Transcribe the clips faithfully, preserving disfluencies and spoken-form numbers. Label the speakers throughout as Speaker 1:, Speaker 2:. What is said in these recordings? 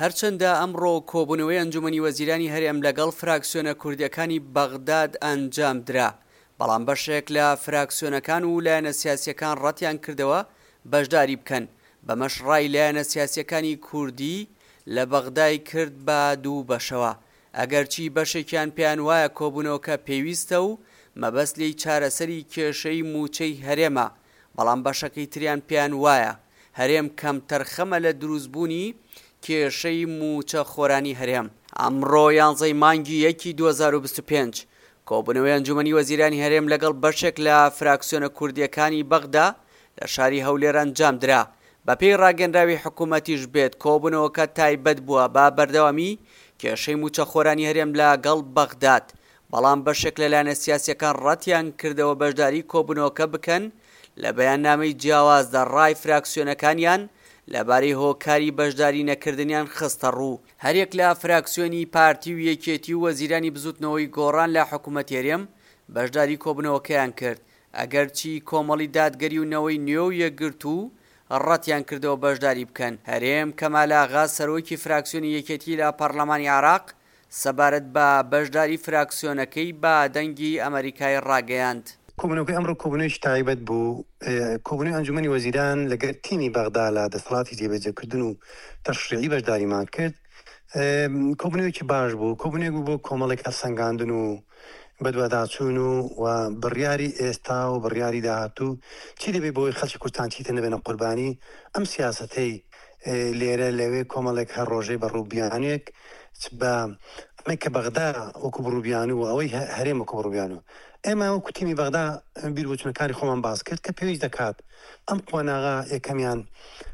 Speaker 1: هەرچەندە ئەمڕۆ کۆبوونەوەی ئەنجومەنی وەزیرانی هەرێم لەگەڵ فراکسیۆنە کوردیەکانی بەغداد ئەنجامدرا، بەڵام بەشێک لە فراکسیۆنەکان و لایەنە سیاسیەکان ڕەتیان کردەوە بەشداری بکەن، بەمەش ڕای لایەنە سیاسیەکانی کوردی لە بەغدای کرد بە دوو بەشەوە، ئەگەرچی بەشێکیان پێیان وایە کۆبوونەوەکە پێویستە و مەبەست لێی چارەسەری کێشەی مووچەی هەرێمە، بەڵام بەشەکەی تریان پێیان وایە هەرێم کەمتەرخەمە لە دروستبوونی کێشەی مووچە خۆرانی هەرێم. ئەمڕۆ یانزەی مانگی یەکی دوو هەزار و بیست و پێنج کۆبوونەوەی ئەنجومەنی وەزیرانی هەرێم لەگەڵ بەشێک لە فراکسیۆنە کوردیەکانی بەغدا لە شاری هەولێر ئەنجامدرا. بەپێی ڕاگەنراوی حکوومەتیش بێت کۆبوونەوەکە تایبەت بووە بە بەردەوامی کێشەی مووچەخۆرانی هەرێم لەگەڵ بەغداد، بەڵام بەشێک لە لایەنە سیاسیەکان ڕەتیان کردەوە بەشداری کۆبوونەوەکە بکەن. لە بەیاننامەی جیاوازدا ڕای فراکسیۆنەکانیان لەبارەی هۆکاری بەشداری نەکردنیان خستە ڕوو. هەریەک لە فراکسیۆنی پارتی و یەکێتی و وەزیرانی بزوتنەوەی گۆڕان لە حکوومەتی هەرێم بەشداری کۆبوونەوەکەیان کرد، ئەگەرچی کۆمەڵی دادگەری و نەوەی نوێ و یەکگرتوو ڕەتیان کردەوە بەشداری بکەن. هەرێم کەمال ئاغا سەرۆکی فراکسیۆنی یەکێتی لە پەرلەمانی عێراق سەبارەت بە بەشداری فراکسیۆنەکەی بە دەنگی ئەمریکای ڕاگەیاند.
Speaker 2: کۆبوونەوەکەی ئەمڕۆ کۆبوونەوەیەکی تایبەت بوو، کۆبوونەوەی ئەنجومەنی وەزیران لەگەر تیمی بەغدا لە دەسەڵاتی جێبەجێکردن و تەشریعی بەشداریمان کرد. کۆبوونەوەیەکی باش بوو، کۆبوونەوەیەک بوو بۆ کۆمەڵێک هەڵسەنگاندن و بەدواداچوون و و بڕیاری ئێستا و بڕیاری داهاتوو چی دەبێت بۆی خەڵکی کوردستان چیتر نەبێنە قوربانی ئەم سیاسەتەی لێرە لەوێ کۆمەڵێک هەر ڕۆژەی بە ڕووبیانێک بە ئەمەی کە بەغدا وەکو بڕوبیان و ئەوەی هەرێم وەکو بڕوبیان و ئێمە وەکو تیمی بەغدا بیر بۆچوونەکانی خۆمان باس کرد کە پێویست دەکات ئەم قۆناغە یەکەمیان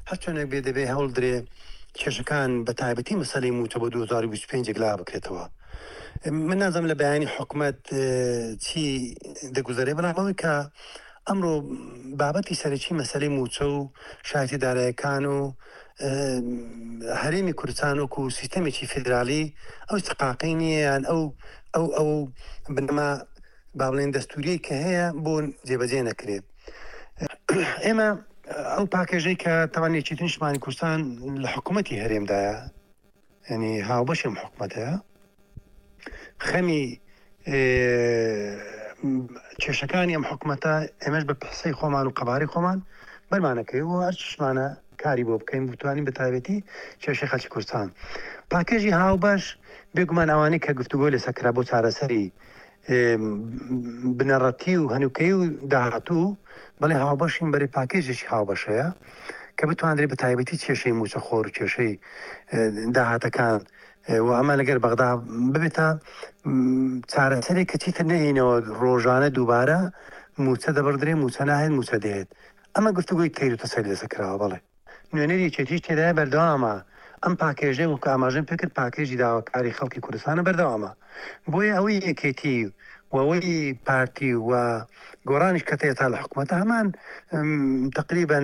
Speaker 2: هەرچۆنێک بێ دەبێ هەوڵ درێ کێشەکان بە تایبەتی مەسەلەی مووچە بۆ دوو هەزار و بیست و پێنج یەکلا بکرێتەوە. من نازانم لە بەیانی حکومەت چی دەگوزەرێ، بەڵام ئەوەی کە ئەمڕۆ بابەتی سەرەکی مەسەلەی مووچە و شایەتی دارایەکان و هەرێمی کوردستان وەکو سیستەمێکی فیدرالی ئەو استحقاقی نییە، یان ئەو ئەو ئەو بنەما با بڵێن دەستوریەی کە هەیە بۆ جێبەجێ نەکرێت. ئێمە ئەو پاکێژەی کە تاوان یەکێتی نیشتمانی کوردستان لە حکوومەتی هەرێمدایە، ینی هاوبەشی ئەم حکوومەتەیە، خەمی کێشەکانی ئەم حکوومەتە ئێمەش بە پرسەی خۆمان و قەبارەی خۆمان بەرمانەکەی و هەرچیشمانە کاری بۆ بکەین بتوانین بە تایبەتی کێشەی خەڵکی کوردستان. پاکێژی هاوبەش بێگومان ئەوانەی کە گفتوگۆ لەسەر کرا بۆ چارەسەری بنەڕەتی و هەنووکەی و داهاتوو، بەڵێ هاوبەشین، بەرێ پاکێژێکی هاوبەشەیە کە بتواندرێت بە تایبەتی کێشەی مووچەخۆر و کێشەی داهاتەکان و ئەمە لەگەر بەغدا ببێتە چارەسەرێک کە چیتر نەهێنەوە ڕۆژانە دووبارە مووچە دەبڕدرێ، مووچە ناهێت، مووچە دێت. ئەمە گفتوگۆی تێر و تەسەلی لەسەر کراوە. بەڵێ نوێنەری یەکێتیش تێدایە بەردەوامە. ئەم پاکێژەی وەکو ئاماژەم پێکرد پاکێژی داواکاری خەڵکی کوردستانە بەردەوامە. بۆیە ئەوەی یەکێتی و ئەوەی پارتی و گۆڕانیش کە تێتا لە حکوومەتە هەمان تقریبا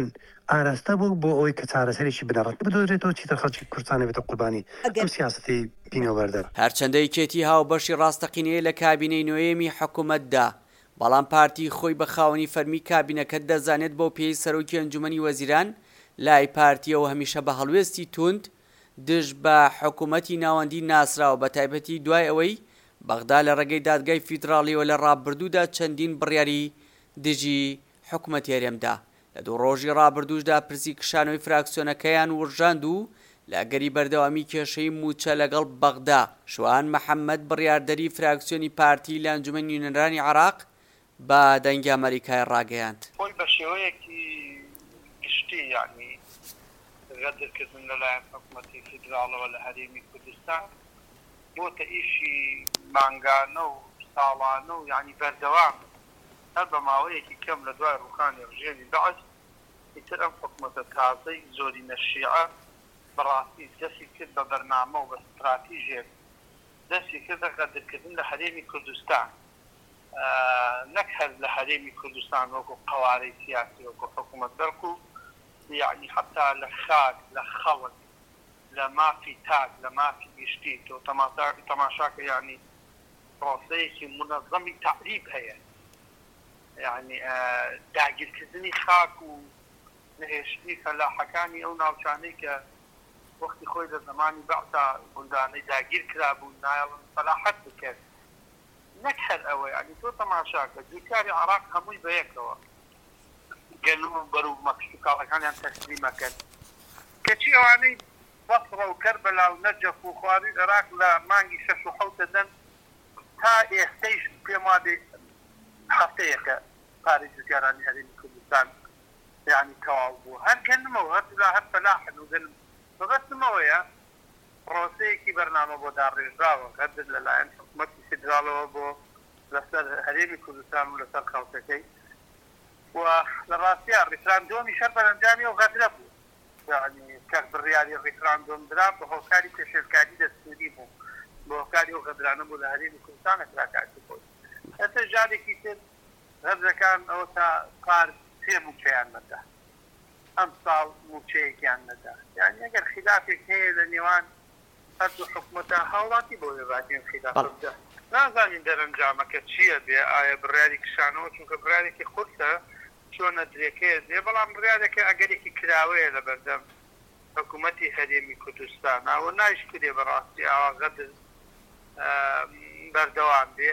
Speaker 2: ئاراستە بوو بۆ ئەوەی کە چارەسەرێکی بنەڕەتی بدۆزرێتەوە چیتر خەڵکی کوردستان نەبێتە قوربانی ئەم سیاسەتەی پینەوبەردەر.
Speaker 1: هەرچەندە یەکێتی هاوبەشی ڕاستەقینەیە لە کابینەی نۆیەمی حکوومەتدا، بەڵام پارتی خۆی بە خاوەنی فەرمی کابینەکە دەزانێت بەو پێی سەرۆکی ئەنجومەنی وەزیران لای پارتیەوە هەمیشە بە هەڵوێستی توند دژ بە حکوومەتی ناوەندی ناسراوە، بە تایبەتی دوای ئەوەی بەغدا لە ڕێگەی دادگای فیدراڵیەوە لە ڕابردوودا چەندین بڕیاری دژی حکوومەتی هەرێمدا لە دوو ڕۆژی ڕابردووشدا پرسی کشانەوەی فراکسیۆنەکەیان ورژاند و لە ئەگەری بەردەوامی کێشەی مووچە لەگەڵ بەغدا، شوان محەممەد بڕیاردەری فراکسیۆنی پارتی لە ئەنجومەنی نوێنەرانی عێراق بە دەنگی ئەمەریکای ڕاگەیاند.
Speaker 3: خۆی بە شێوەیەکی گشتی یەعنی غەدرکردن لەلایەن حکومەتی فیدراڵەوە لە هەرێمی کوردستان بۆتە ئیشی مانگانە و ساڵانە و یەعنی بەردەوام هەر بە ماوەیەکی کەم لە دوای ڕووخانی ڕژێمی بەعس ئیتر ئەم حکومەتە تازەی زۆرینە شیعە بەڕاستی دەستی کرد بە بەرنامە و بە ستراتیژێک دەستی کردە غەدرکردن لە هەرێمی کوردستان، نەک هەر لە هەرێمی کوردستان وەکو قەوارەی سیاسی وەکو حکوومەت، بەڵکو یەعنی حەتا لە خاک، لە خەڵک، لە مافی تاک، لە مافی گشتی. تۆ تەماشاکە یەعنی پرۆسەیەکی مونەزەمی تەعریب هەیە، یەعنی داگیرکردنی خاک و نەهێشتنی فەلاحەکانی ئەو ناوچانەی کە وەختی خۆی لە زەمانی بەعسا گوندانەی داگیر کرابوون نایەڵن فەلاحەت بکەن. نەک هەر ئەوە، یانی تۆ تەماشاکە جووتیاری عێراق هەمووی بەیەکەوە گەنم و بەروبوومە کشتوکاڵەکانیان تەسلیم ئەکەن، کەچی ئەوانەی بەسڕە و کەربەلا و نەجەف و خوارووی عێراق لە مانگی شەش و حەوت دەدەن، تا ئێستەیش پێم وابێ هەفتەیەکە پارەی جووتیارانی هەرێمی کوردستان یانی تەواو بووە. هەر گەنمە و هەردوولا هەر فەلاحن و گەنم. مەبەستم ئەوەیە پڕۆسەیەکی بەرنامە بۆ داڕێژراوە غەدر لەلایەن حکومەتی فیدراڵەوە بۆ لەسەر هەرێمی کوردستان و لەسەر خەڵکەکەی و لە ڕاستیا ڕیفراندۆمیش هەر بەرەنجامی ئەو غەدرە بوو. یانی کە بڕیاری ڕیفراندۆم درا بە هۆکاری پێشێلکاری دەستووری بوو، بە هۆکاری ئەو غەدرانە بوو لە هەرێمی کوردستان ئەکرا کاتی خۆی. ئێستا جارێکی تر غەدرەکان ئەوە تا پار سێ مووچەیان نەدا، ئەمساڵ مووچەیەکیان نەدا. یانی ئەگەر خیلافێک هەیە لە نێوان هەردوو حکومەتە هاوڵاتی بۆ بێ باکەین خیلافە
Speaker 1: بەڵێ.
Speaker 3: بدە. نازانین دەرەنجامەکە چیە بێ ئایا بڕیاری کشانەوە چونکە بڕیارێکی قورسە چۆنە درێکەیە دێ بەڵام بڕیارێکە ئەگەرێکی کراوەیە لەبەردەم حکومەتی هەرێمی کوردستانا و نایشکرێ بەڕاستی ئاوا غەدر بەردەوام بێ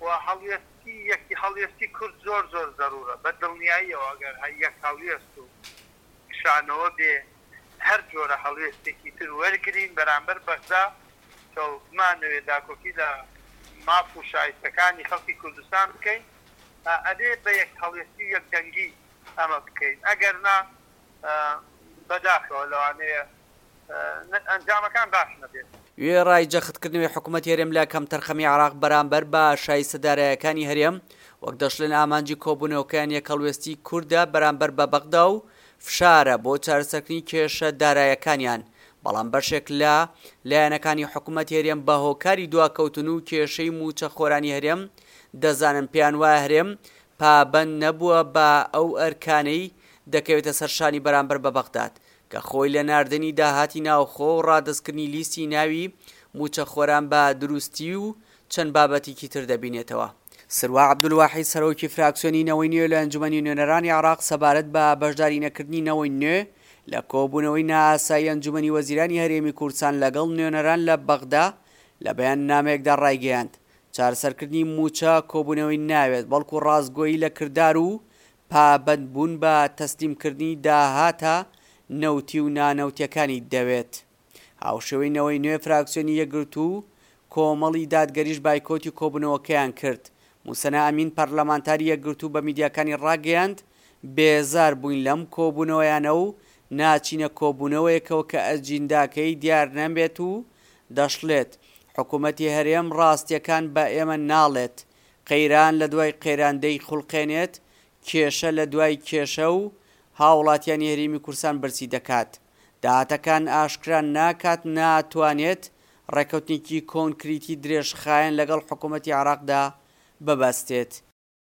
Speaker 3: و هەڵوێستی یەک هەڵوێستی کورد زۆر زۆر زەرورە بە دڵنیاییەوە ئەگەر یەک هەڵوێست و کشانەوە بێ هەر جۆرە هەڵوێستێکی تر وەرگرین بەرامبەر بەغدا کە بمانەوێ داکۆکی لە ماف و شایستەکانی خەڵکی کوردستان بکەین ئەبێ بە یەک هەڵوێستی و یەک دەنگی ئەمە بکەین ئەگەر نا بەداخەوە لەوانەیە ئەنجامەکان باش نەبێت.
Speaker 1: وێڕای جەختکردنەوەی حکومەتی هەرێم لە کەمتەرخەمی عێراق بەرامبەر بە شایستە دارایەکانی هەرێم، وەک دەشڵێن ئامانجی کۆبوونەوەکەیان یەکهەڵوێستی کوردە بەرامبەر بە بەغدا و فشارە بۆ چارەسەرکردنی کێشە دارایەکانیان، بەڵام بەشێک لە لایەنەکانی حکومەتی هەرێم بە هۆکاری دواکەوتن و کێشەی مووچەخۆرانی هەرێم دەزانن پێیانوایە هەرێم پابەند نەبووە بە ئەو ئەرکانەی دەکەوێتە سەر شانی بەرامبەر بە بەغداد کە خۆی لە ناردنی داهاتی ناوخۆ و ڕادەستکردنی لیستی ناوی مووچەخۆران بە دروستی و چەند بابەتێکی تر دەبینێتەوە. سروە عەبدولواحید سەرۆکی فراکسیۆنی نەوەی نوێ لە ئەنجومەنی نوێنەرانی عێراق سەبارەت بە بەشداری نەکردنی نەوەی نوێ لە کۆبوونەوەی نائاسایی ئەنجومەنی وەزیرانی هەرێمی کوردستان لەگەڵ نوێنەران لە بەغدا لە بەیاننامەیەکدا ڕایگەیاند چارەسەرکردنی مووچە کۆبوونەوەی ناوێت بەڵکو ڕاستگۆیی لە کردار و پابەندبوون بە تەسلیمکردنی داهاتە نەوتی و نانەوتیەکانی دەوێت. هاوشێوەی نەوەی نوێ فراکسیۆنی یەکگرتوو و کۆمەڵی دادگەریش بایکۆتی کۆبوونەوەکەیان کرد. موسەنا ئەمین پەرلەمانتاری یەکگرتوو بە میدیاکانی ڕاگەیاند، بێزار بووین لەم کۆبوونەوەیانە و ناچینە کۆبوونەوەیەکەوە کە ئەجینداکەی دیار نەبێت و دەشڵێت، حکومەتی هەرێم ڕاستیەکان بە ئێمە ناڵێت، قەیران لە دوای قەیران دەیخولقێنێت، کێشە لە دوای کێشە و هاوڵاتیانی هەرێمی کوردستان برسی دەکات، داهاتەکان ئاشکرا ناکات، ناتوانێت ڕێککەوتنێکی کۆنکریتی درێژخایەن لەگەڵ حکومەتی عێراقدا ببەستێت.